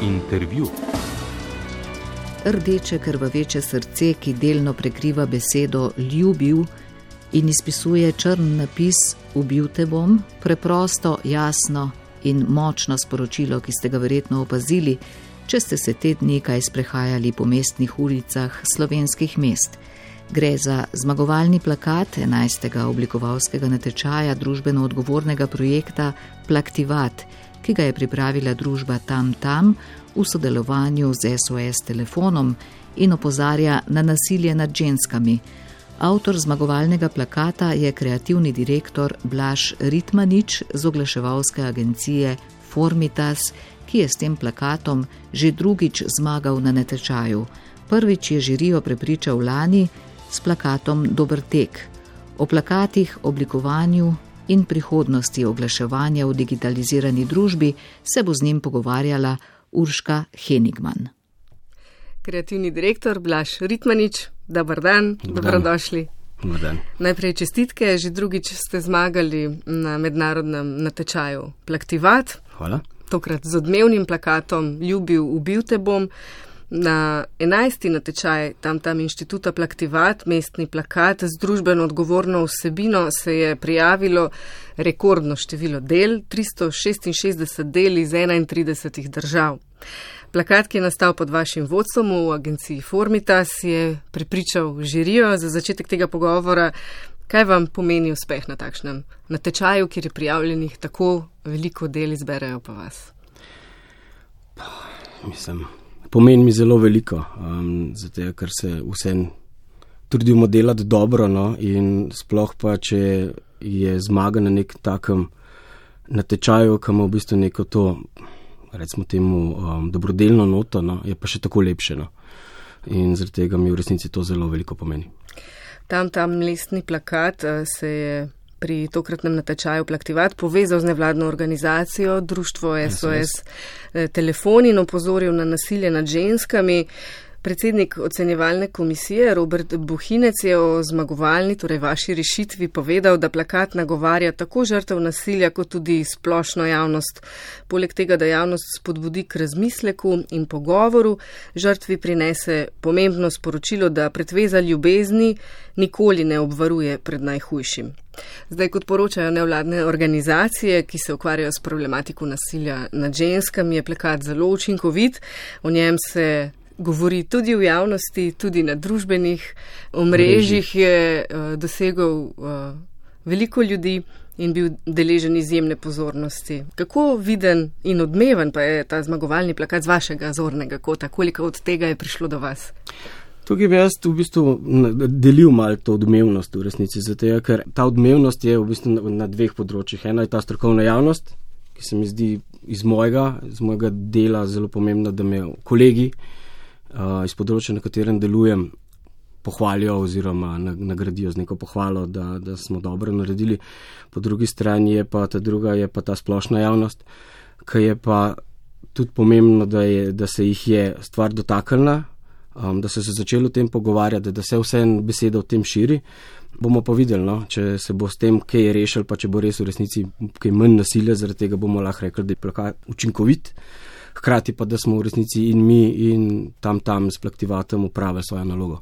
Intervju. Rdeče krvaveče srce, ki delno prekriva besedo ljubil in izpisuje črn napis ubil te bom, preprosto, jasno in močno sporočilo, ki ste ga verjetno opazili, če ste se te dni kaj sprehajali po mestnih ulicah slovenskih mest. Gre za zmagovalni plakat 11. oblikovalskega natečaja družbeno odgovornega projekta Plaktivat, ki ga je pripravila družba Tam Tam v sodelovanju z SOS telefonom in opozarja na nasilje nad ženskami. Avtor zmagovalnega plakata je kreativni direktor Blaž Ritmanič z oglaševalske agencije Formitas, ki je s tem plakatom že drugič zmagal na natečaju. Prvič je žirijo prepričal lani s plakatom Dober tek. O plakatih, oblikovanju in prihodnosti oglaševanja v digitalizirani družbi se bo z njim pogovarjala Urška Henigman. Kreativni direktor Blaž Ritmanič, dober dan, dobrodošli. Dober dan. Najprej čestitke, že drugič ste zmagali na mednarodnem natečaju Plaktivat. Hvala. Tokrat z odmevnim plakatom Ljubil, ubil te bom. Na 11. natečaj Tam inštituta Plaktivat, mestni plakat z družbeno odgovorno vsebino, se je prijavilo rekordno število del, 366 del iz 31 držav. Plakat, ki je nastal pod vašim vodstvom v agenciji Formitas, je prepričal žirijo. Za začetek tega pogovora, kaj vam pomeni uspeh na takšnem natečaju, kjer je prijavljenih tako veliko del, izberejo pa vas? Pomeni mi zelo veliko, zato ker se vsem trudimo delati dobro, no, in sploh pa, če je zmaga na nek takem natečaju, ki ima v bistvu neko to, recimo temu, dobrodelno noto, no, je pa še tako lepše, no. In zaradi tega mi v resnici to zelo veliko pomeni. Tam mestni plakat se je pri tokratnem natečaju Plaktivat povezal z nevladno organizacijo, društvo SOS telefon in opozoril na nasilje nad ženskami. Predsednik ocenjevalne komisije Robert Bohinec je o zmagovalni, torej vaši rešitvi, povedal, da plakat nagovarja tako žrtev nasilja, kot tudi splošno javnost. Poleg tega, da javnost spodbudi k razmisleku in pogovoru, žrtvi prinese pomembno sporočilo, da pretveza ljubezni nikoli ne obvaruje pred najhujšim. Zdaj, kot poročajo nevladne organizacije, ki se ukvarjajo s problematiko nasilja nad ženskami, je plakat zelo učinkovit. O njem se govori tudi v javnosti, tudi na družbenih omrežjih, je dosegel veliko ljudi in bil deležen izjemne pozornosti. Kako viden in odmeven pa je ta zmagovalni plakat z vašega zornega kota? Koliko od tega je prišlo do vas? Tukaj bi jaz v bistvu delil malo to odmevnost v resnici, zato ker ta odmevnost je v bistvu na dveh področjih. Ena je ta strokovna javnost, ki se mi zdi iz mojega dela zelo pomembno, da me kolegi iz področja, na katerem delujem, pohvalijo oziroma nagradijo z neko pohvalo, da smo dobro naredili. Po drugi strani je pa ta druga, je pa ta splošna javnost, ki je pa tudi pomembno, da se jih je stvar dotaknila, da so se začeli o tem pogovarjati, da se vse beseda o tem širi. Bomo pa videli, no, če se bo s tem kaj rešil, pa če bo res v resnici kaj manj nasilja, zaradi tega bomo lahko rekli, da je plakat učinkovit. Hkrati pa, da smo v resnici in mi in tam s Plaktivatom upravili svojo nalogo.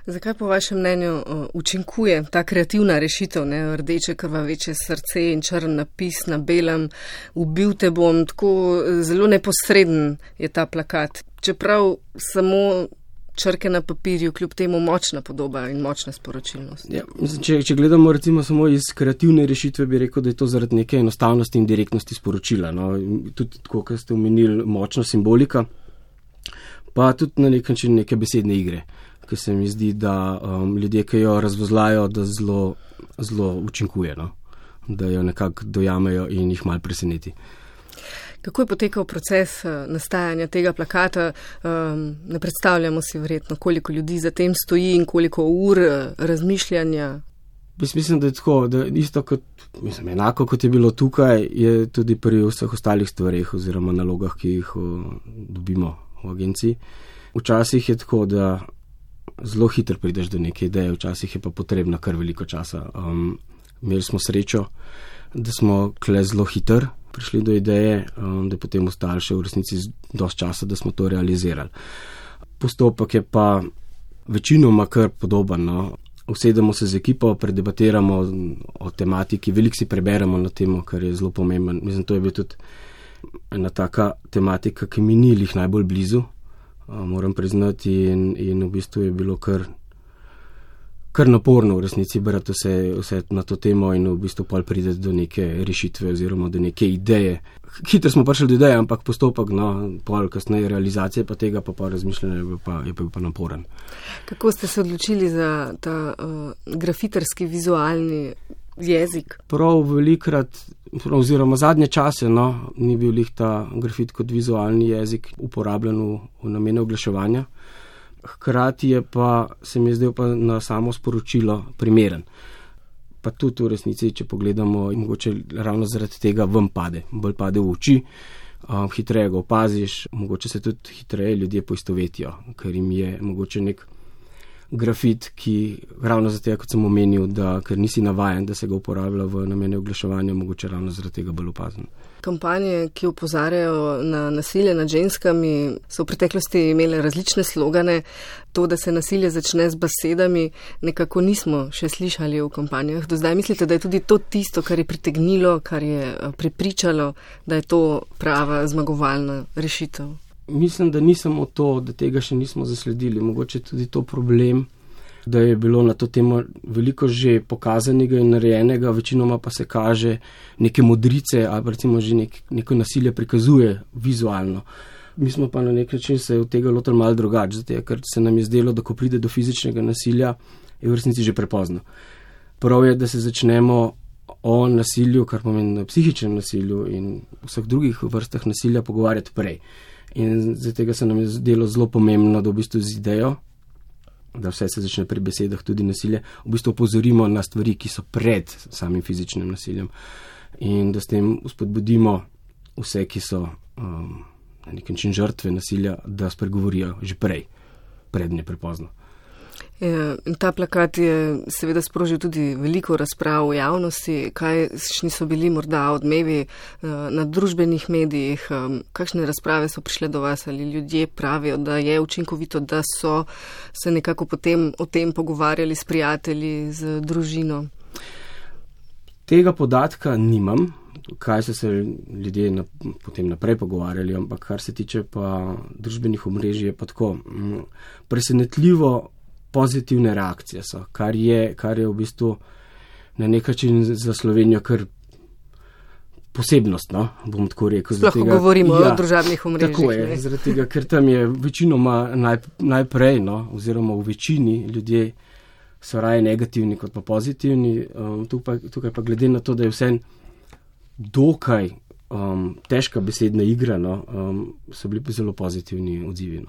Zakaj po vašem mnenju učinkuje ta kreativna rešitev, ne? Rdeče krvaveče srce in črn napis na belem, ubil te bom, tako zelo neposreden je ta plakat. Čeprav samo črke na papirju, kljub temu močna podoba in močna sporočilnost. Ja, če gledamo recimo samo iz kreativne rešitve, bi rekel, da je to zaradi neke enostavnosti in direktnosti sporočila. No. Tudi tako, kot ste omenili, močna simbolika, pa tudi na nek način neke besedne igre, ki se mi zdi, da ljudje, ki jo razvozlajo, da zelo učinkuje, no. Da jo nekako dojamejo in jih malo preseneti. Kako je potekal proces nastajanja tega plakata? Ne predstavljamo si verjetno, koliko ljudi za tem stoji in koliko ur razmišljanja. Mislim, da je tako, da isto kot, enako kot je bilo tukaj, je tudi pri vseh ostalih stvareh oziroma nalogah, ki jih dobimo v agenciji. Včasih je tako, da zelo hitro prideš do neke ideje, včasih je pa potrebno kar veliko časa. Imeli smo srečo, da smo kle zelo hitro prišli do ideje, da je potem ostalo še v resnici dosti časa, da smo to realizirali. Postopek je pa večinoma kar podoben. No. Usedemo se z ekipo, predebatiramo o tematiki, veliko si preberemo na temo, kar je zelo pomemben. Mislim, to je bil tudi ena taka tematika, ki mi ni lih najbolj blizu, moram priznati, in v bistvu je bilo kar naporno v resnici brati vse na to temo in v bistvu pol pride do neke rešitve oziroma do neke ideje. Hitro smo prišli do ideje, ampak postopek, pol kasneje realizacije pa tega pa razmišljanja je pa naporen. Kako ste se odločili za ta grafiterski vizualni jezik? Prav velikrat, oziroma zadnje čase, ni bil lih ta grafit kot vizualni jezik uporabljen v namene oglaševanja. Hkrati je pa, se mi je zdel pa na samo sporočilo primeren. Pa tudi v resnici, če pogledamo, mogoče ravno zaradi tega vam bolj pade v oči, hitreje ga opaziš, mogoče se tudi hitreje ljudje poistovetijo, ker jim je mogoče nek grafit, ki ravno zato, kot sem omenil, ker nisi navajen, da se ga uporablja v namene oglaševanja, mogoče ravno zaradi tega bolj opazen. Kampanje, ki opozarjajo na nasilje nad ženskami, so v preteklosti imele različne slogane. To, da se nasilje začne z besedami, nekako nismo še slišali v kampanjah. Do zdaj mislite, da je tudi to tisto, kar je pritegnilo, kar je prepričalo, da je to prava zmagovalna rešitev? Mislim, da ni samo to, da tega še nismo zasledili. Mogoče tudi to problem, da je bilo na to temo veliko že pokazanega in narejenega, večinoma pa se kaže neke modrice ali recimo že neko nasilje prikazuje vizualno. Mi smo pa na nek način se od tega lotili malo drugače, zato ker se nam je zdelo, da ko pride do fizičnega nasilja, je v resnici že prepozno. Prav je, da se začnemo o nasilju, kar pomeni psihičnem nasilju in vseh drugih vrstah nasilja pogovarjati prej. In zato se nam je zdelo zelo pomembno, da v bistvu z idejo, da vse se začne pri besedah, tudi nasilje, v bistvu opozorimo na stvari, ki so pred samim fizičnim nasiljem in da s tem spodbudimo vse, ki so na nek način žrtve nasilja, da spregovorijo že prej, prednje prepozno. In ta plakat je seveda sprožil tudi veliko razprav v javnosti. Kakšni so bili morda odmevi na družbenih medijih, kakšne razprave so prišle do vas, ali ljudje pravijo, da je učinkovito, da so se nekako potem o tem pogovarjali s prijatelji, z družino? Tega podatka nimam, kaj so se ljudje potem naprej pogovarjali, ampak kar se tiče pa družbenih omrežij, je pa tako presenetljivo pozitivne reakcije so, kar je v bistvu na nek način za Slovenijo kar posebnost, bom tako rekel. Sploh govorimo o družabnih omrežjih. Tako je, zaradi tega, ker tam je večinoma najprej, oziroma v večini ljudje so raje negativni kot pa pozitivni. Tukaj pa glede na to, da je vse dokaj težka besedna igra, so bili zelo pozitivni odzivi.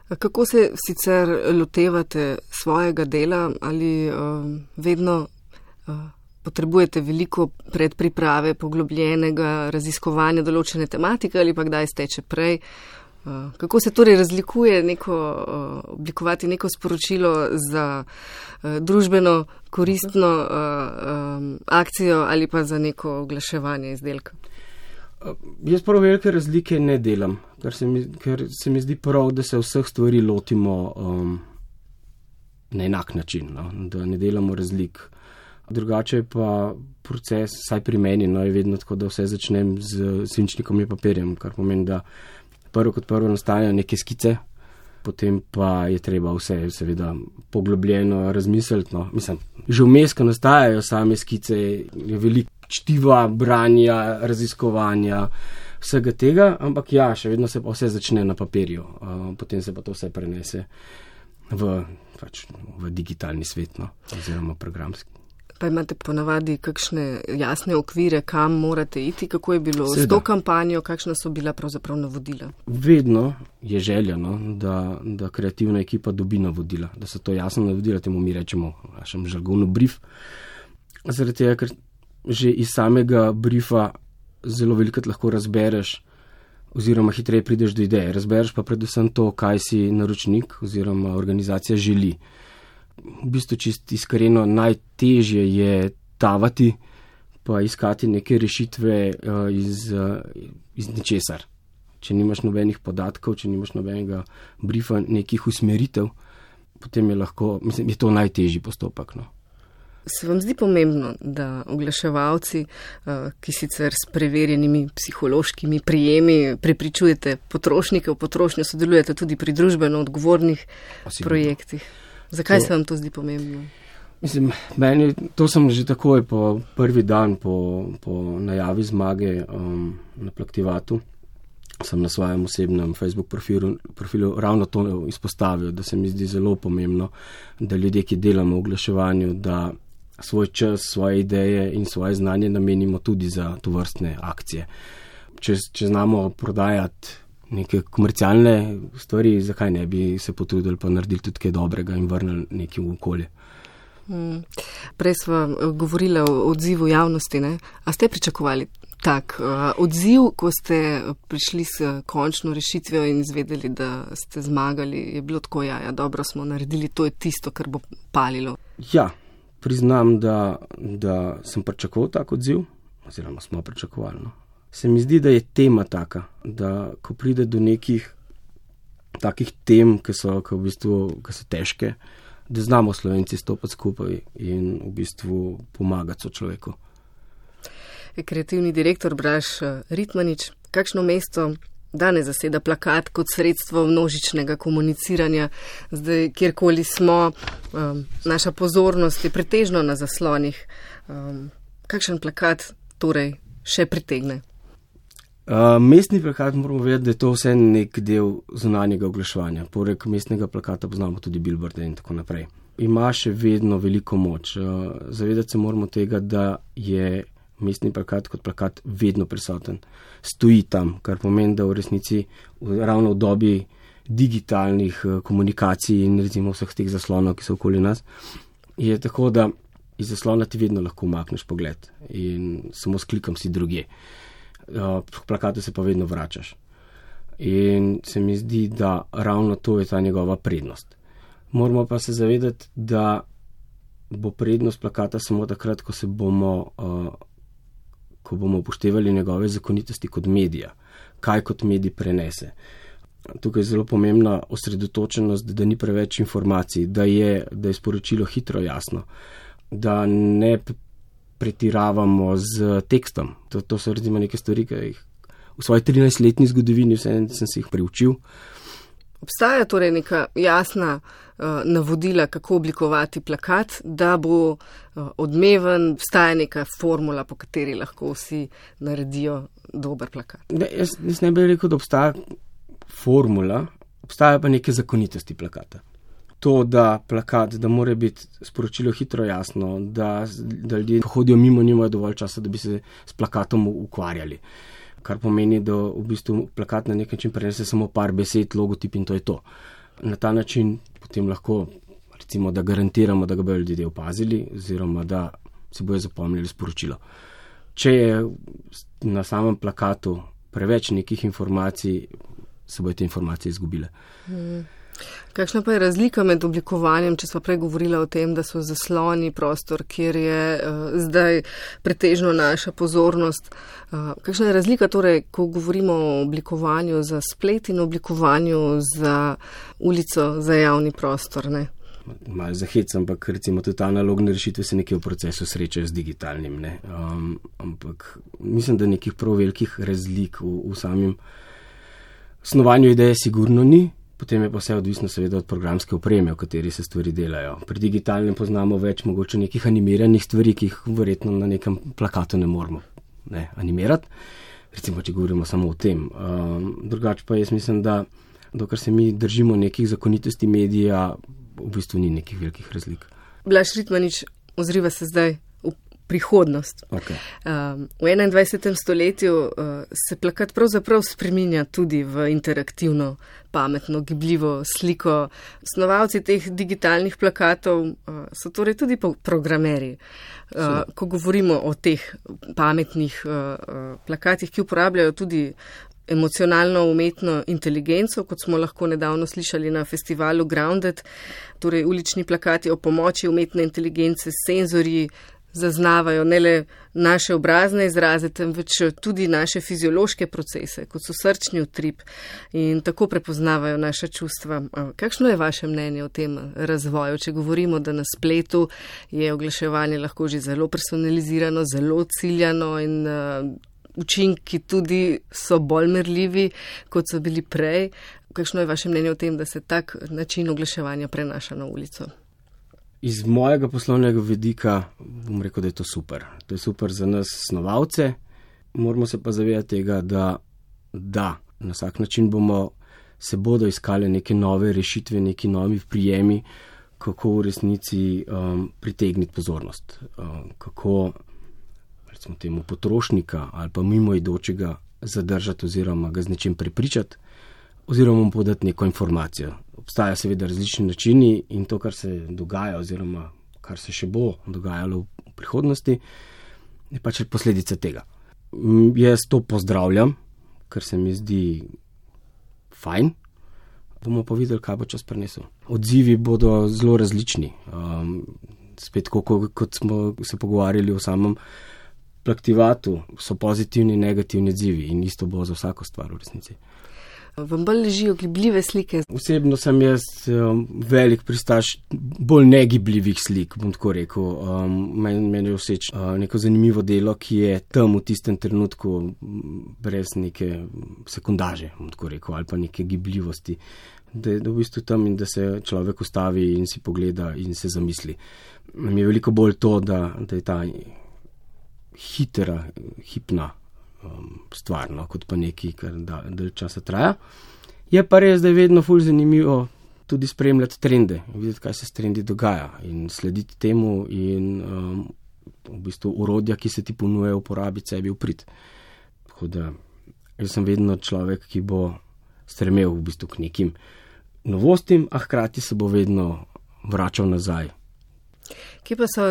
Kako se sicer lotevate svojega dela? Ali vedno potrebujete veliko predpriprave, poglobljenega raziskovanja določene tematike ali pa kdaj steče prej? Kako se torej razlikuje oblikovati neko sporočilo za družbeno koristno akcijo ali pa za neko oglaševanje izdelka? Jaz prav velike razlike ne delam, ker se mi zdi prav, da se vseh stvari lotimo na enak način, da ne delamo razlik. Drugače pa proces, saj pri meni, je vedno tako, da vse začnem z svinčnikom in papirjem, kar pomeni, da prvo kot prvo nastajajo neke skice, potem pa je treba vse seveda poglobljeno razmisliti. Mislim, že vmes, ko nastajajo same skice, je veliko čtiva, branja, raziskovanja, vsega tega, ampak še vedno se pa vse začne na papirju, potem se pa to vse prenese v digitalni svet, oziroma programski. Pa imate ponavadi kakšne jasne okvire, kam morate iti, kako je bilo s to kampanjo, kakšna so bila pravzaprav navodila? Vedno je želja, da kreativna ekipa dobi navodila, da so to jasno navodila, temu mi rečemo v našem žargonu brief. Zaradi tega, ker že iz samega briefa zelo velikokrat lahko razbereš oziroma hitreje prideš do ideje. Razbereš pa predvsem to, kaj si naročnik oziroma organizacija želi. V bistvu čisto iskreno najtežje je tavati pa iskati neke rešitve iz ničesar. Če nimaš nobenih podatkov, če nimaš nobenega briefa, nekih usmeritev, potem je to najtežji postopek. No. Se vam zdi pomembno, da oglaševalci, ki sicer s preverjenimi psihološkimi prijemi prepričujete potrošnike v potrošnjo, sodelujete tudi pri družbeno odgovornih projektih? Zakaj se vam to zdi pomembno? Meni, to sem že takoj po prvi dan po najavi zmage na Plaktivatu, sem na svojem osebnem Facebook profilu ravno to izpostavil, da se mi zdi zelo pomembno, da ljudje, ki delamo v oglaševanju, da svoj čas, svoje ideje in svoje znanje namenimo tudi za tovrstne akcije. Če znamo prodajati neke komercialne stvari, zakaj ne bi se potrudili pa naredili tudi kaj dobrega in vrnili nekaj v okolje. Prej sva govorila o odzivu javnosti, ne? A ste pričakovali tak odziv, ko ste prišli s končno rešitvijo in izvedeli, da ste zmagali? Je bilo tako, ja, dobro smo naredili, to je tisto, kar bo palilo? Ja, priznam, da sem pričakoval tak odziv, oziroma smo pričakovali. No. Se mi zdi, da je tema taka, da ko pride do nekih takih tem, ki so težke, da znamo Slovenci stopiti skupaj in v bistvu pomagati sočloveku. Kreativni direktor Blaž Ritmanič, kakšno mesto danes zaseda plakat kot sredstvo množičnega komuniciranja? Zdaj, kjerkoli smo, naša pozornost je pretežno na zaslonih. Kakšen plakat torej še pritegne? Mestni plakat moramo vedeti, da je to vse nek del zunanjega oglaševanja. Poleg mestnega plakata poznamo tudi billboarde in tako naprej. Ima še vedno veliko moč. Zavedati se moramo tega, da je mestni plakat kot plakat vedno prisoten. Stoji tam, kar pomeni, da v resnici ravno v dobi digitalnih komunikacij in recimo vseh teh zaslonov, ki so okoli nas, je tako, da iz zaslona ti vedno lahko umakneš pogled in samo s klikom si drugje. Plakate se pa vedno vračaš. In se mi zdi, da ravno to je ta njegova prednost. Moramo pa se zavedati, da bo prednost plakata samo takrat, ko bomo upoštevali njegove zakonitosti kot medija, kaj kot medij prenese. Tukaj je zelo pomembna osredotočenost, da ni preveč informacij, da je sporočilo hitro jasno, da ne pretiravamo z tekstom. To so recimo neke stvari, ki jih v svoji 13-letni zgodovini sem si jih priučil. Obstaja torej neka jasna navodila, kako oblikovati plakat, da bo odmeven, obstaja neka formula, po kateri lahko vsi naredijo dober plakat. Jaz ne bi rekel, da obstaja formula, obstaja pa neke zakonitosti plakata. To, da plakat, da mora biti sporočilo hitro jasno, da ljudje, ko hodijo mimo, nimajo dovolj časa, da bi se s plakatom ukvarjali. Kar pomeni, da v bistvu plakat na nek način prenese samo par besed, logotip in to je to. Na ta način potem lahko, recimo, da garantiramo, da ga bodo ljudje opazili oziroma da si bojo zapomnili sporočilo. Če je na samem plakatu preveč nekih informacij, se bojo te informacije izgubile. Kakšna pa je razlika med oblikovanjem, če smo prej govorila o tem, da so zasloni prostor, kjer je zdaj pretežno naša pozornost. Kakšna je razlika torej, ko govorimo o oblikovanju za splet in oblikovanju za ulico, za javni prostor, ne? Malo zahec, ampak recimo tudi analogne rešitve se nekje v procesu srečajo z digitalnim, ne? Ampak mislim, da nekih prav velikih razlik v samem snovanju ideje sigurno ni. Potem je pa vse odvisno seveda od programske opreme, v kateri se stvari delajo. Pri digitalnem poznamo več mogoče nekih animiranih stvari, ki jih verjetno na nekem plakatu ne moramo animirati. Recimo, če govorimo samo o tem. Drugače pa jaz mislim, da dokler se mi držimo nekih zakonitosti medija, v bistvu ni nekih velikih razlik. Blaž Ritmanič, ozriva se zdaj v prihodnost. Okay. V 21. stoletju se plakat pravzaprav spreminja tudi v interaktivno, pametno, gibljivo sliko. Snovalci teh digitalnih plakatov so torej tudi programerji. Ko govorimo o teh pametnih plakatih, ki uporabljajo tudi emocionalno umetno inteligenco, kot smo lahko nedavno slišali na festivalu Grounded, torej ulični plakati o pomoči umetne inteligence s senzorji, zaznavajo ne le naše obrazne izraze, temveč tudi naše fiziološke procese, kot so srčni utrip in tako prepoznavajo naša čustva. Kakšno je vaše mnenje o tem razvoju? Če govorimo, da na spletu je oglaševanje lahko že zelo personalizirano, zelo ciljano in učinki tudi so bolj merljivi, kot so bili prej. Kakšno je vaše mnenje o tem, da se tak način oglaševanja prenaša na ulico? Iz mojega poslovnega vidika bom rekel, da je to super. To je super za nas snovalce. Moramo se pa zavedati tega, da na vsak način se bodo iskali neke nove rešitve, neki novi prijemi, kako v resnici pritegniti pozornost. Kako recimo temu potrošnika ali pa mimoidočega zadržati oziroma ga z nečim prepričati oziroma mu podati neko informacijo. Obstajajo seveda različni načini in to, kar se dogaja oziroma kar se še bo dogajalo v prihodnosti, je pač posledica tega. Jaz to pozdravljam, ker se mi zdi fajn. Bomo pa videli, kaj bo čas prinesel. Odzivi bodo zelo različni. Spet, kot smo se pogovarjali o samem plaktivatu, so pozitivni in negativni odzivi in isto bo za vsako stvar v resnici. Vam bolj ležijo gibljive slike? Osebno sem jaz velik pristaš bolj negibljivih slik, bom tako rekel. Meni je všeč neko zanimivo delo, ki je tam v tistem trenutku brez neke sekundaže, bom tako rekel, ali pa neke gibljivosti. Da je v bistvu tam in da se človek ustavi in si pogleda in se zamisli. Mi je veliko bolj to, da je ta hipna stvar, kot pa nekaj, kar dalj časa traja. Je pa res, da je vedno ful zanimivo tudi spremljati trende, videti, kaj se s trendi dogaja in slediti temu in v bistvu urodja, ki se ti ponuje uporabiti sebi v prid. Tako da jaz sem vedno človek, ki bo stremel v bistvu k nekim novostim, a hkrati se bo vedno vračal nazaj. Kje pa so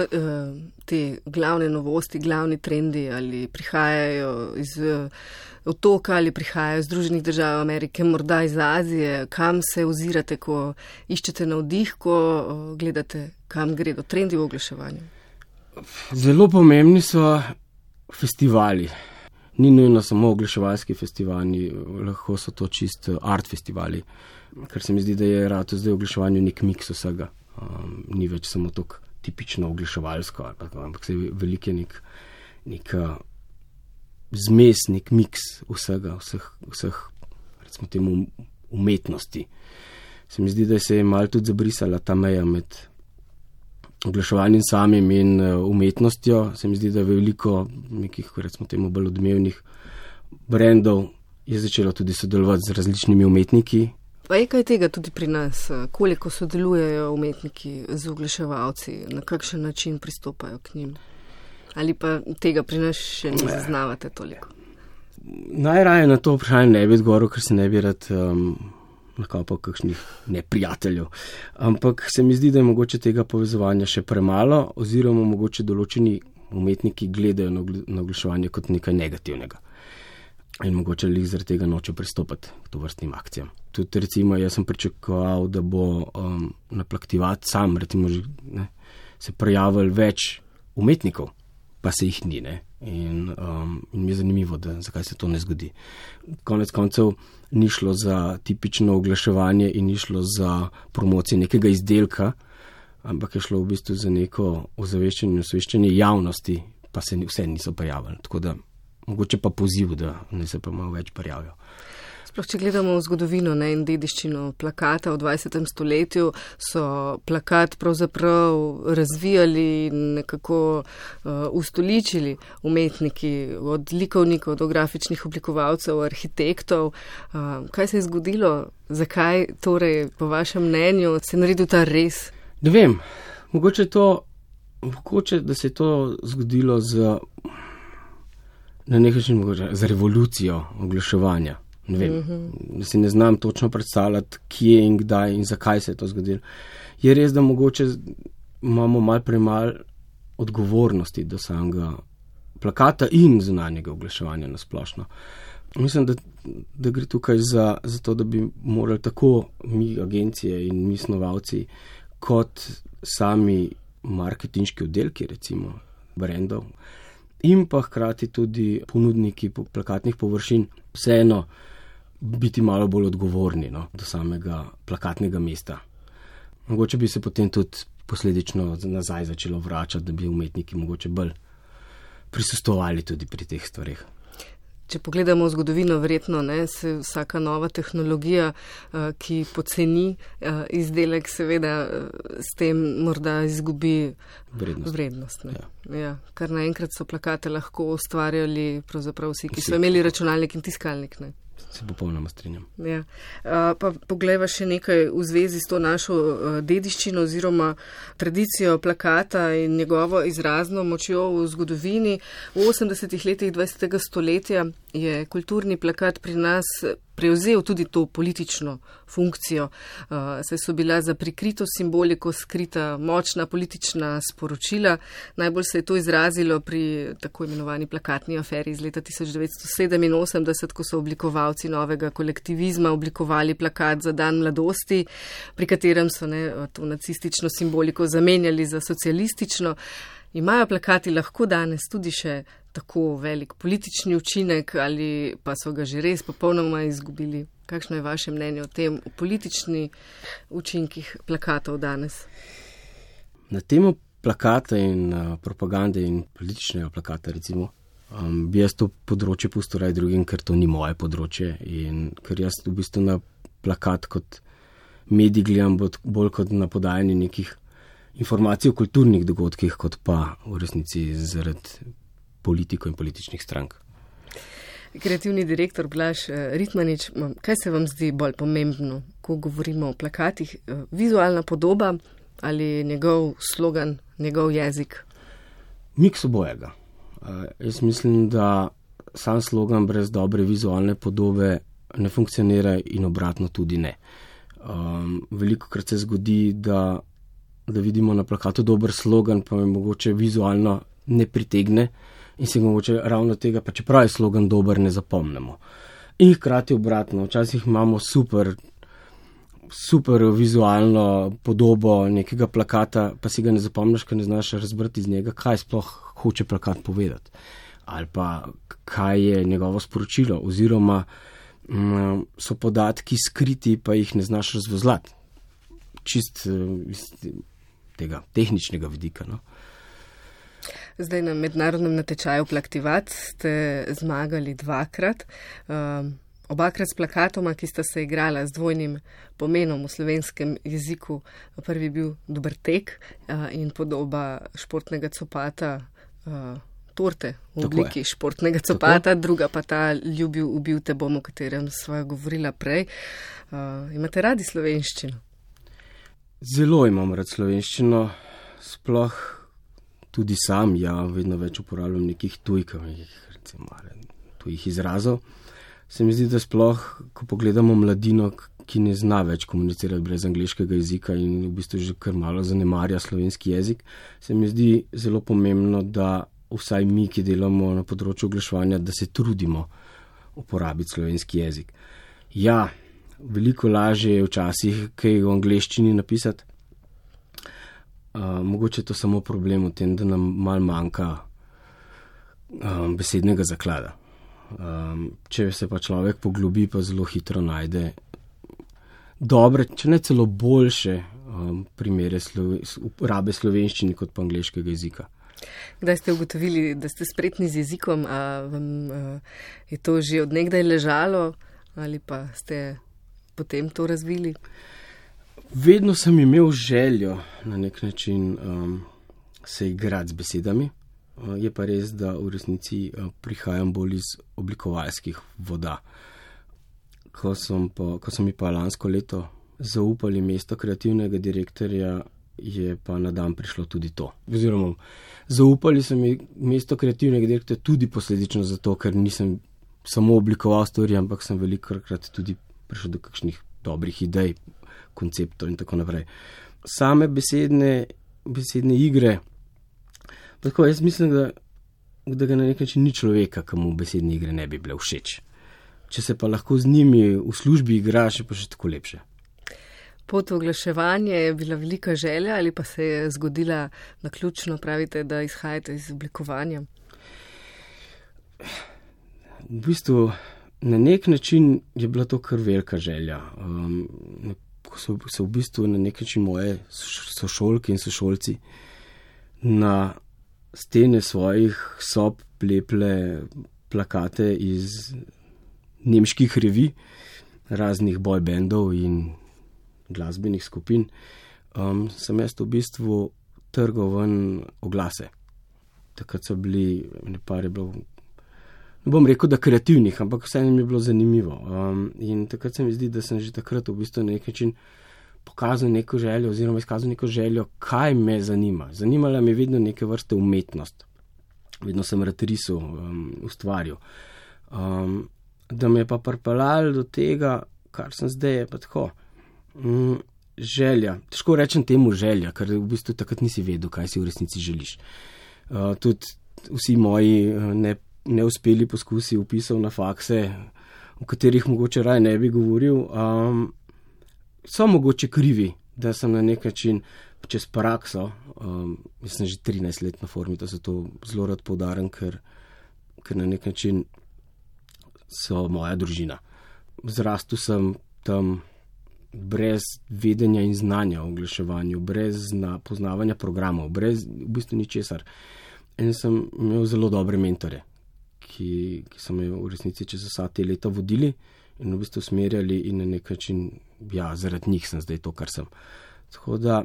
te glavne novosti, glavni trendi, ali prihajajo iz otoka ali prihajajo iz Združenih držav Amerike, morda iz Azije? Kam se ozirate, ko iščete navdih, ko gledate, kam gredo trendi v oglaševanju? Zelo pomembni so festivali. Ni nujno samo oglaševalski festivali, lahko so to čist art festivali, ker se mi zdi, da je rado zdaj v oglaševanju nek miks vsega. Ni več samo tako tipično oglaševalsko, ampak se je veliko nek zmes, nek miks vsega, vseh recimo temu umetnosti. Se mi zdi, da se je malo tudi zabrisala ta meja med oglaševanjem samim in umetnostjo. Se mi zdi, da je veliko nekih, recimo temu, bolj odmevnih brandov je začelo tudi sodelovati z različnimi umetniki. Pa je kaj tega tudi pri nas? Koliko sodelujejo umetniki z oglaševalci? Na kakšen način pristopajo k njim? Ali pa tega pri nas še ne zaznavate toliko? Najraje na to vprašanje ne bi odgovoril, ker se ne bi rad nakopal kakšnih neprijateljev. Ampak se mi zdi, da je mogoče tega povezovanja še premalo, oziroma mogoče določeni umetniki gledajo na oglaševanje kot nekaj negativnega. In mogoče jih zaradi tega noče pristopati k tovrstnim akcijam. Tudi recimo, jaz sem pričakoval, da bo na plaktivat sam, recimo, se prijavil več umetnikov, pa se jih ni, ne. In mi je zanimivo, zakaj se to ne zgodi. Konec koncev ni šlo za tipično oglaševanje in ni šlo za promocijo nekega izdelka, ampak je šlo v bistvu za neko osveščanje javnosti, pa se vse niso prijavili. Tako da mogoče pa poziv, da ne se pa malo več prijavijo. Sploh, če gledamo v zgodovino in dediščino plakata v 20. stoletju, so plakat pravzaprav razvijali in nekako ustoličili umetniki, od likovnikov do grafičnih oblikovalcev, arhitektov. Kaj se je zgodilo? Zakaj torej, po vašem mnenju, se je naredil ta res? Ne vem, mogoče da se je to zgodilo na nek način za revolucijo oglaševanja. Ne vem, da si ne znam točno predstavljati, kje in kdaj in zakaj se je to zgodilo. Je res, da mogoče imamo malo premalo odgovornosti do samega plakata in zunanjega oglaševanja na splošno. Mislim, da gre tukaj za to, da bi morali tako mi, agencije in mi snovalci, kot sami marketinški oddelki, recimo, brendov in pa hkrati tudi ponudniki plakatnih površin vseeno biti malo bolj odgovorni do samega plakatnega mesta. Mogoče bi se potem tudi posledično nazaj začelo vračati, da bi umetniki mogoče bolj prisustvovali tudi pri teh stvareh. Če pogledamo v zgodovino, verjetno se vsaka nova tehnologija, ki poceni izdelek, seveda s tem morda izgubi vrednost. Ja. Kar naenkrat so plakate lahko ustvarjali pravzaprav vsi, ki so imeli računalnik in tiskalnik. Se popolnoma strinjam. Ja. Pa poglejva še nekaj v zvezi s to našo dediščino oziroma tradicijo plakata in njegovo izrazno močjo v zgodovini. V 80. letih 20. stoletja je kulturni plakat pri nas prevzel tudi to politično funkcijo. Saj so bila za prikrito simboliko skrita močna politična sporočila. Najbolj se je to izrazilo pri tako imenovani plakatni aferi iz leta 1987, ko so oblikovalci novega kolektivizma oblikovali plakat za dan mladosti, pri katerem so to nacistično simboliko zamenjali za socialistično. Imajo plakati lahko danes tudi še tako velik politični učinek ali pa so ga že res popolnoma izgubili? Kakšno je vaše mnenje o tem, o politični učinkih plakatov danes? Na temo plakata in propagande in političnega plakata recimo, bi jaz to področje pustil raj drugim, ker to ni moje področje in ker jaz v bistvu na plakat kot medij gledam bolj kot na podajanje nekih informacij o kulturnih dogodkih, kot pa v resnici zaradi politikov in političnih strank. Kreativni direktor Blaž Ritmanič, kaj se vam zdi bolj pomembno, ko govorimo o plakatih? Vizualna podoba ali njegov slogan, njegov jezik? Miks obojega. Jaz mislim, da sam slogan brez dobre vizualne podobe ne funkcionira in obratno tudi ne. Velikokrat se zgodi, da vidimo na plakatu dober slogan, pa me mogoče vizualno ne pritegne in se mogoče ravno tega, pa čeprav je slogan dober, ne zapomnimo. In hkrati obratno, včasih imamo super vizualno podobo nekega plakata, pa si ga ne zapomniš, ker ne znaš razbrati iz njega, kaj sploh hoče plakat povedati. Ali pa kaj je njegovo sporočilo, oziroma so podatki skriti, pa jih ne znaš razvozlati. Čist iz tega tehničnega vidika. Zdaj na mednarodnem natečaju Plaktivat ste zmagali 2-krat. Obakrat s plakatoma, ki sta se igrala z dvojnim pomenom v slovenskem jeziku. Prvi bil Dober tek in podoba športnega copata, torte v obliki športnega copata, druga pa ta Ljubil, ubil te bom, o katerem sva govorila prej. Imate radi slovenščino? Zelo imam rad slovenščino, sploh tudi sam, vedno več uporabljam nekih tujih izrazov. Se mi zdi, da sploh, ko pogledamo mladino, ki ne zna več komunicirati brez angleškega jezika in v bistvu že kar malo zanemarja slovenski jezik, se mi zdi zelo pomembno, da vsaj mi, ki delamo na področju oglaševanja, da se trudimo uporabiti slovenski jezik. Ja, veliko lažje je včasih kaj v angleščini napisati. Mogoče je to samo problem v tem, da nam malo manjka besednega zaklada. Če se pa človek poglobi, pa zelo hitro najde dobre, če ne celo boljše primere uporabe slovenščine kot pa angleškega jezika. Kdaj ste ugotovili, da ste spretni z jezikom, a vam je to že od nekdaj ležalo ali pa ste potem to razvili? Vedno sem imel željo na nek način se igrati z besedami. Je pa res, da v resnici prihajam bolj iz oblikovalskih voda. Ko so mi pa lansko leto zaupali mesto kreativnega direktorja, je pa na dan prišlo tudi to. Oziroma, zaupali so mi mesto kreativnega direktorja tudi posledično zato, ker nisem samo oblikoval stvari, ampak sem velikokrat tudi prišel do kakšnih dobrih idej, konceptov in tako naprej. Same besedne igre, tako jaz mislim, da ga na nek način ni človeka, komu besedne igre ne bi bile všeč. Če se pa lahko z njimi v službi igraš, je pa še tako lepše. pot v oglaševanje je bila velika želja ali pa se je zgodila naključno, pravite, da izhajate iz oblikovanja? V bistvu, na nek način je bila to kar velika želja. Ko so v bistvu na nek način moje sošolke in sošolci na stene svojih sob leple plakate iz nemških revij, raznih boy bandov in glasbenih skupin, sem jaz v bistvu trgal ven oglase. Takrat so bili, par je bilo, ne bom rekel, da kreativnih, ampak vse mi je bilo zanimivo. In takrat se mi zdi, da sem že takrat v bistvu na nek način pokazal neko željo oziroma izkazal neko željo, kaj me zanima. Zanimala me je vedno neke vrste umetnost. Vedno sem rad risal, ustvarjal. Da me je pa pripeljalo do tega, kar sem zdaj, je pa tako. Želja. Težko rečem temu želja, ker v bistvu takrat nisi vedel, kaj si v resnici želiš. Tudi vsi moji neuspeli poskusi vpisov na fakse, o katerih mogoče raje ne bi govoril, so mogoče krivi, da sem na nek način čez prakso, jaz sem že 13 let na formi, da se to zelo rad poudarim, ker na nek način so moja družina. Zrastel sem tam brez vedenja in znanja o oglaševanju, brez poznavanja programov, brez v bistvu ničesar. In sem imel zelo dobre mentore, ki so me v resnici čez vsa te leta vodili in v bistvu usmerjali in na nek način, zaradi njih sem zdaj to, kar sem. Tako da,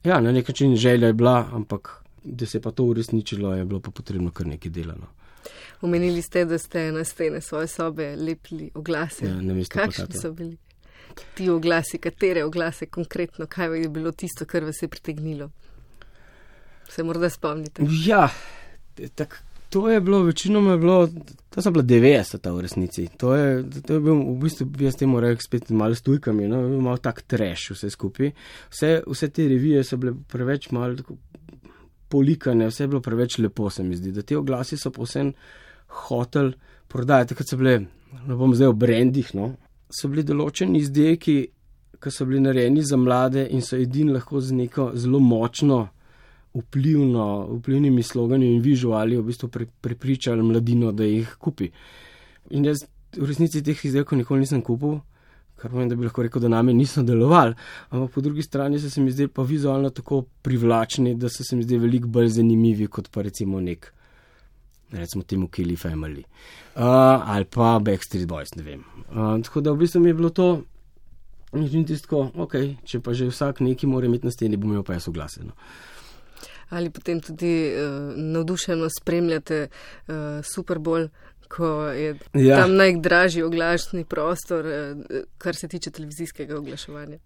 na nek način želja je bila, ampak da se pa to uresničilo, je bilo pa potrebno kar nekaj delano. Omenili ste, da ste na stene svoje sobe lepili oglase. Kakšni so bili ti oglasi, katere oglase konkretno, kaj je bilo tisto, kar vas je pritegnilo? Se morda spomnite? To je bilo, večinoma je bilo, to so bila 90-ta v resnici. To je bil, v bistvu, jaz temu rekel spet malo s tujkami, malo tak trash vse skupaj. Vse te revije so bile preveč malo tako polikane, vse je bilo preveč lepo, se mi zdi. Da te oglasi so povsem hotel prodajati, takrat so bile, ne bom zdaj o brandih, so bili določeni izdelki, ki so bili narejeni za mlade in so edini lahko z neko zelo močno vplivnimi slogani in vizuali v bistvu prepričali mladino, da jih kupi. In jaz v resnici teh izdelkov nikoli nisem kupil, kar pomeni, da bi lahko rekel, da name niso delovali, ampak po drugi strani so se mi zdeli pa vizualno tako privlačni, da so se mi zdeli veliko bolj zanimivi kot pa recimo recimo temu Kelly Family ali pa Backstreet Boys, ne vem. Tako da v bistvu mi je bilo to in tisto, če pa že vsak neki mora imeti na steni, bom imel pa jaz oglase. Ali potem tudi navdušeno spremljate Super Bowl, ko je tam najdražji oglašni prostor, kar se tiče televizijskega oglaševanja?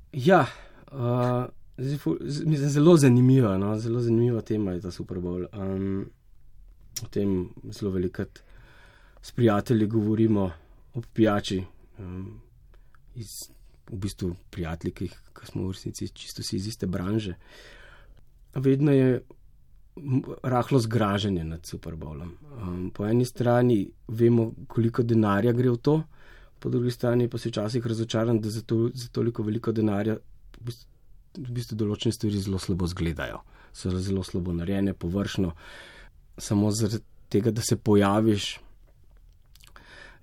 Zelo zanimiva tema je ta Super Bowl. O tem zelo velikrat s prijatelji govorimo o pijači, v bistvu prijatelji, ki smo v resnici čisto si iz iste branže. Vedno je rahlo zgražanje nad Super Bowlom. Po eni strani vemo, koliko denarja gre v to, po drugi strani pa se včasih razočaram, da za toliko veliko denarja v bistvu določene stvari zelo slabo zgledajo. So zelo slabo narejene, površno, samo zaradi tega, da se pojaviš.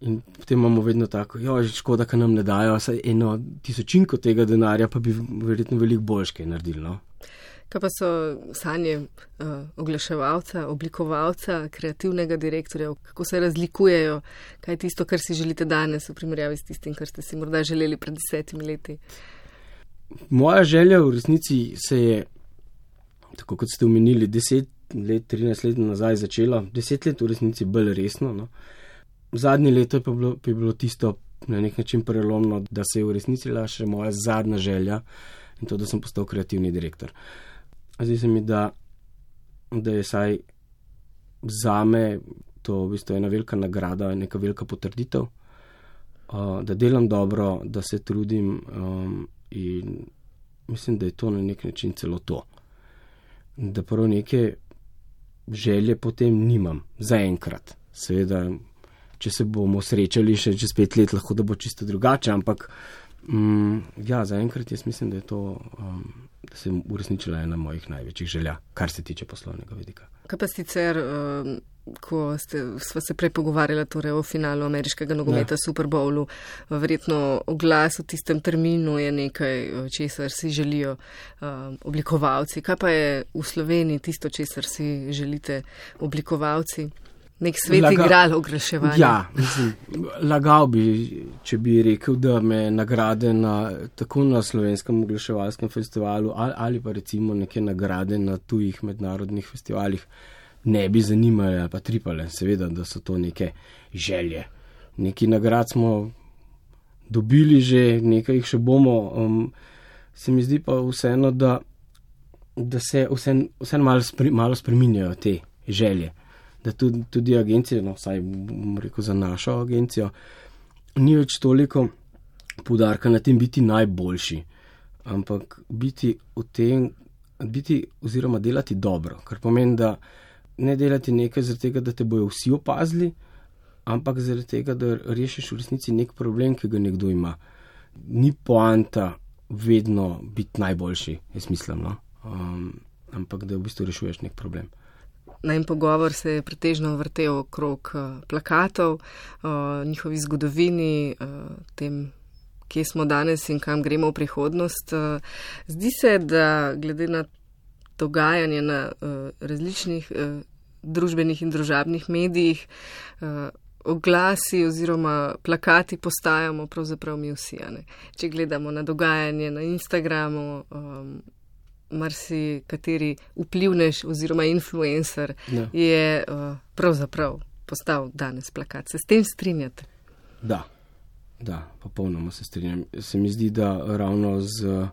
In potem imamo vedno tako, škoda, ka nam ne dajo vsaj 1/1000 tega denarja, pa bi verjetno veliko boljše naredili, Kaj pa so sanje oglaševalca, oblikovalca, kreativnega direktorja, kako se razlikujejo, kaj je tisto, kar si želite danes v primerjavi s tistim, kar ste si morda želeli pred 10 leti? Moja želja v resnici se je, tako kot ste omenili, 10 let, 13 let nazaj začela, 10 let v resnici bolj resno. Zadnje leto je pa bilo tisto na nek način prelomno, da se je uresničila še moja zadnja želja in to, da sem postal kreativni direktor. Zdi se mi, da je saj zame to v bistvu ena velika nagrada, neka velika potrditev, da delam dobro, da se trudim in mislim, da je to na nek način celo to. Da prav neke želje potem nimam, zaenkrat. Seveda, če se bomo srečali še čez 5 let, lahko da bo čisto drugače, ampak Ja, zaenkrat jaz mislim, da je to, da se je uresničila ena mojih največjih želja, kar se tiče poslovnega vidika. Kaj pa sicer, ko sva se prej pogovarjala torej o finalu ameriškega nogometa Super Bowlu, verjetno oglas v tistem terminu je nekaj, česar si želijo oblikovalci. Kaj pa je v Sloveniji tisto, česar si želite oblikovalci? Nek svet igral oglaševanja. Ja, mislim, lagal bi, če bi rekel, da me nagrade tako na slovenskem oglaševalskem festivalu ali pa recimo neke nagrade na tujih mednarodnih festivalih ne bi zanimale ali pa tripale. Seveda, da so to neke želje. Neki nagrad smo dobili že, nekaj jih še bomo. Se mi zdi pa vseeno, da se vseeno malo spreminjajo te želje. Da tudi agencije, vsaj bom rekel za našo agencijo, ni več toliko poudarka na tem biti najboljši, ampak biti oziroma delati dobro, kar pomeni, da ne delati nekaj zaradi tega, da te bojo vsi opazili, ampak zaradi tega, da rešiš v resnici nek problem, ki ga nekdo ima. Ni poanta vedno biti najboljši, jaz mislim, no? Ampak da v bistvu rešuješ nek problem. Najin pogovor se je pretežno vrtel okrog plakatov, njihovi zgodovini, tem, kje smo danes in kam gremo v prihodnost. Zdi se, da glede na dogajanje na različnih družbenih in družabnih medijih, oglasi oziroma plakati postajamo pravzaprav mi vsi. Če gledamo na dogajanje na Instagramu, marsikateri vplivnež oziroma influencer je pravzaprav postal danes plakat. Se s tem strinjate? Da, popolnoma se strinjam. Se mi zdi, da ravno z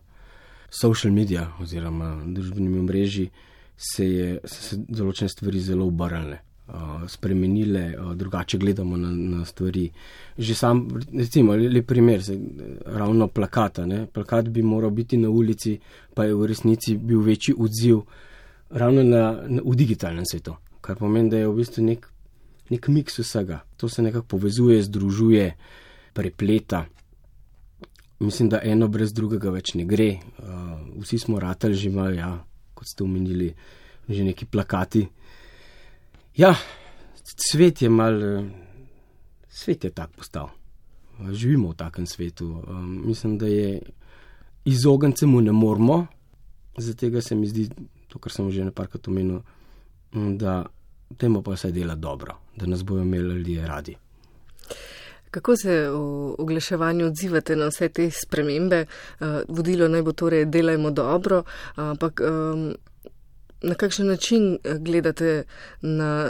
social media oziroma družbenimi omrežji se določene stvari zelo obrnile, spremenile, drugače gledamo na stvari. Že sam, recimo, lep primer, ravno plakata. Plakat bi moral biti na ulici, pa je v resnici bil večji odziv ravno v digitalnem svetu, kar pomeni, da je v bistvu nek miks vsega. To se nekako povezuje, združuje, prepleta. Mislim, da eno brez drugega več ne gre. Vsi smo ratali že malo, ja, kot ste omenili, že neki plakati. Ja, svet je tak postal. Živimo v takem svetu. Mislim, da je izogniti se mu ne moramo. Zato se mi zdi, to, kar sem že neparkrat omenil, da temu pa vse dela dobro, da nas bojo imeli ljudje radi. Kako se v oglaševanju odzivate na vse te spremembe? Vodilo naj bo torej delajmo dobro, ampak na kakšen način gledate na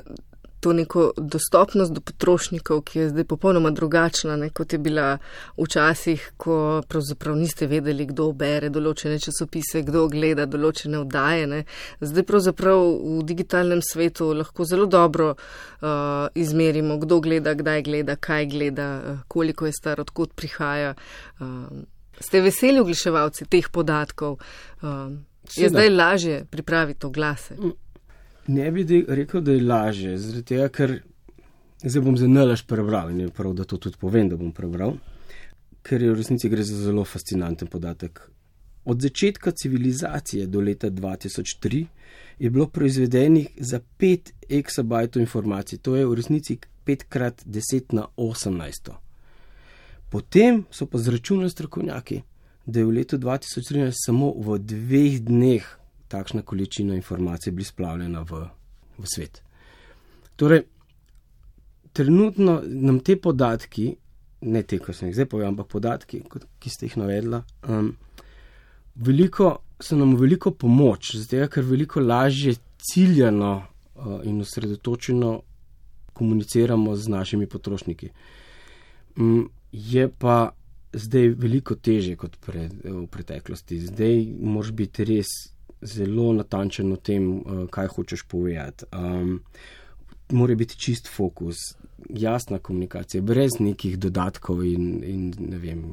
to neko dostopnost do potrošnikov, ki je zdaj popolnoma drugačna, kot je bila včasih, ko pravzaprav niste vedeli, kdo bere določene časopise, kdo gleda določene oddaje. Zdaj pravzaprav v digitalnem svetu lahko zelo dobro izmerimo, kdo gleda, kdaj gleda, kaj gleda, koliko je star, odkot prihaja. Ste veseli oglaševalci teh podatkov? Je zdaj lažje pripraviti oglase? Ne bi rekel, da je lažje, zaradi tega, ker zdaj bom za nalaž prebral in je prav, da to tudi povem, da bom prebral, ker je v resnici gre za zelo fascinanten podatek. Od začetka civilizacije do leta 2003 je bilo proizvedenih za 5 exabajtov informacij, to je v resnici 5x10 na 18. Potem so pa zračunali strokovnjaki, da je v letu 2013 samo v 2 dneh takšna količina informacij bila splavljena v svet. Torej, trenutno nam te podatki, ne te, ko sem jih zdaj povedal, ampak podatki, ki ste jih navedla, so nam veliko pomoč, zato ker veliko lažje ciljano in osredotočeno komuniciramo z našimi potrošniki. Je pa zdaj veliko težje kot v preteklosti. Zdaj moraš biti res zelo natančen o tem, kaj hočeš povedati. Mora biti čist fokus, jasna komunikacija, brez nekih dodatkov in ne vem,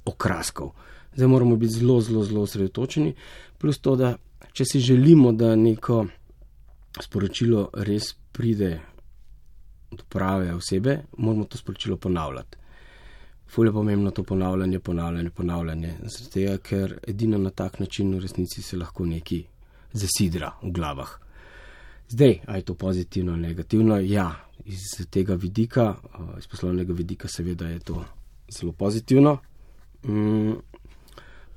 okraskov. Zdaj moramo biti zelo, zelo, zelo osredotočeni, plus to, da če si želimo, da neko sporočilo res pride do prave osebe, moramo to sporočilo ponavljati. ful je pomembno to ponavljanje, zato ker edino na tak način v resnici se lahko nekaj zasidra v glavah. Zdaj, a je to pozitivno ali negativno? Ja, iz tega vidika, iz poslovnega vidika seveda je to zelo pozitivno.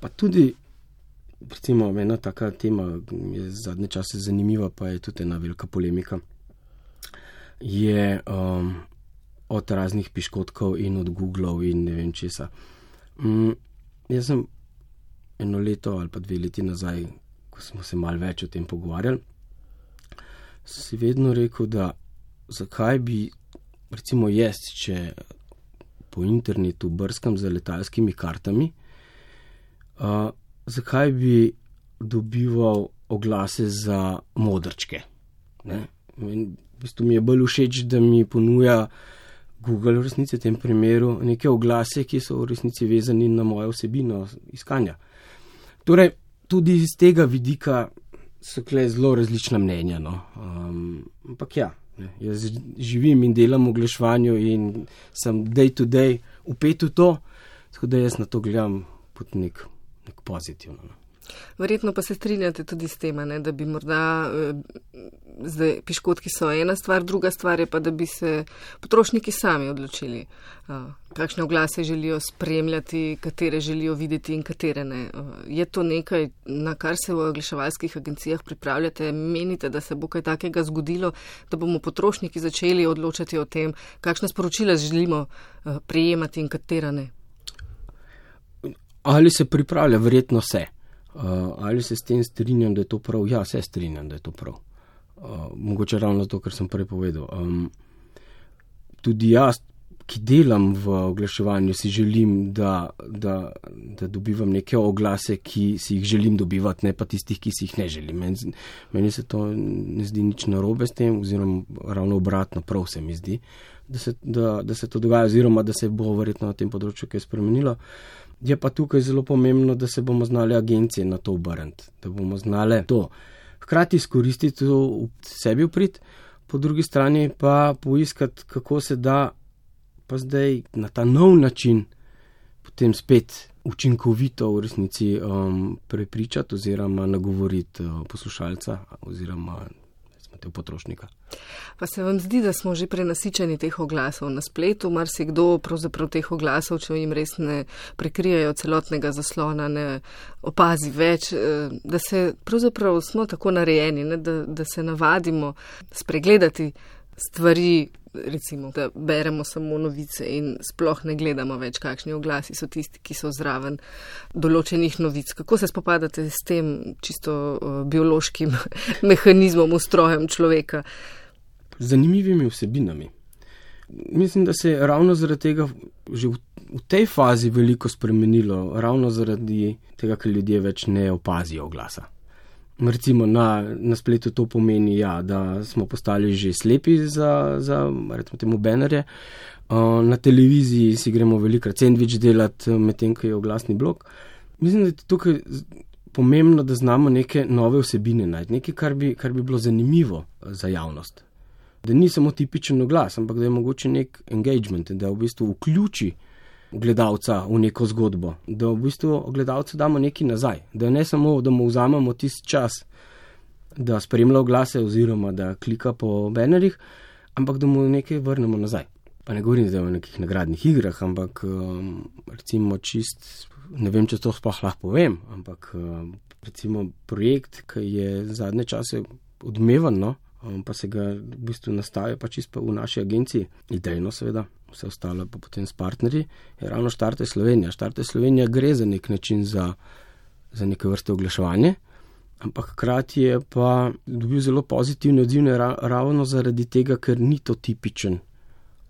Pa tudi, recimo, ena taka tema je zadnje čase zanimiva, pa je tudi ena velika polemika, je od raznih piškotkov in od Googlov in ne vem česa. Jaz sem 1 leto ali pa 2 leti nazaj, ko smo se malo več o tem pogovarjali, si vedno rekel, da zakaj bi, recimo jaz, če po internetu brskam za letalskimi kartami, zakaj bi dobival oglase za modrčke. Ne? V bistvu mi je bolj všeč, da mi ponuja Google v resnici v tem primeru neke oglase, ki so v resnici vezani na mojo vsebino iskanja. Torej, tudi iz tega vidika so kle zelo različna mnenja. No. Ampak ja, jaz živim in delam v oglaševanju in sem day to day vpet v to, tako da jaz na to gledam pod nek pozitivno. No. Verjetno pa se strinjate tudi s tem, da bi morda zdaj piškotki so ena stvar, druga stvar je pa, da bi se potrošniki sami odločili, kakšne oglase želijo spremljati, katere želijo videti in katere ne. Je to nekaj, na kar se v oglaševalskih agencijah pripravljate? Menite, da se bo kaj takega zgodilo, da bomo potrošniki začeli odločati o tem, kakšna sporočila želimo prejemati in katera ne? Ali se pripravlja? Verjetno se. Ali se s tem strinjam, da je to prav? Ja, se strinjam, da je to prav. Mogoče ravno to, kar sem prej povedal. Tudi jaz, ki delam v oglaševanju, si želim, da dobivam neke oglase, ki si jih želim dobivati, ne pa tistih, ki si jih ne želim. Meni se to ne zdi nič narobe s tem, oziroma ravno obratno, prav se mi zdi, da se to dogaja, oziroma da se bo verjetno na tem področju kaj spremenilo. Je pa tukaj zelo pomembno, da se bomo znali agencije na to obrniti, da bomo znali to hkrati izkoristiti to v sebi vprit, po drugi strani pa poiskati, kako se da pa zdaj na ta nov način potem spet učinkovito v resnici prepričati oziroma nagovoriti poslušalca oziroma potrošnika. Pa se vam zdi, da smo že prenasičeni teh oglasov na spletu? Marsikdo pravzaprav teh oglasov, če jim res ne prekrijejo celotnega zaslona, ne opazi več, da se pravzaprav smo tako narejeni, ne, da se navadimo spregledati stvari, recimo, da beremo samo novice in sploh ne gledamo več, kakšni oglasi so tisti, ki so zraven določenih novic. Kako se spopadate s tem čisto biološkim mehanizmom, ustrojem človeka? Zanimivimi vsebinami. Mislim, da se je ravno zaradi tega že v tej fazi veliko spremenilo, ravno zaradi tega, ker ljudje več ne opazijo oglasa. Recimo na spletu to pomeni, ja, da smo postali že slepi za recimo temu banerje. Na televiziji si gremo velikrat sendvič delati, medtem ko je oglasni blok. Mislim, da je tukaj pomembno, da znamo neke nove vsebine najti, nekaj, kar bi bilo zanimivo za javnost. Da ni samo tipičen oglas, ampak da je mogoče nek engagement, da v bistvu vključi gledalca v neko zgodbo, da v bistvu gledalcu damo nekaj nazaj, da ne samo, da mu vzamemo tisti čas, da spremlja oglase oziroma da klika po banerjih, ampak da mu nekaj vrnemo nazaj. Pa ne govorim zdaj o nekih nagradnih igrah, ampak recimo ne vem, če to sploh lahko povem, ampak recimo projekt, ki je zadnje čase odmevan, no, pa se ga v bistvu nastaja pa čisto v naši agenciji, idejno seveda, vse ostalo pa potem s partnerji, je ravno Štarte Slovenija. Štarte Slovenija gre za nek način za neke vrste oglaševanje, ampak hkrati je pa dobil zelo pozitivne odzivne ravno zaradi tega, ker ni to tipičen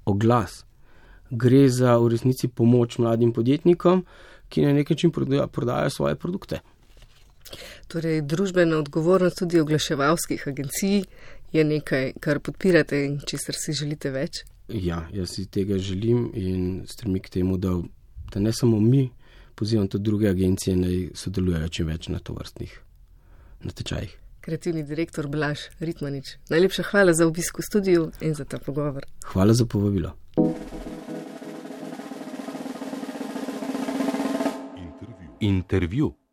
oglas. Gre za v resnici pomoč mladim podjetnikom, ki na nek način prodajajo svoje produkte. Torej, družbena odgovornost tudi oglaševalskih agencij je nekaj, kar podpirate in česar si želite več? Ja, jaz si tega želim in stremim k temu, da ne samo mi, pozivam tudi druge agencije, naj sodelujejo čim več na tovrstnih natečajih. Kreativni direktor Blaž Ritmanič, najlepša hvala za obisk v studiu in za ta pogovor. Hvala za povabilo. Intervju.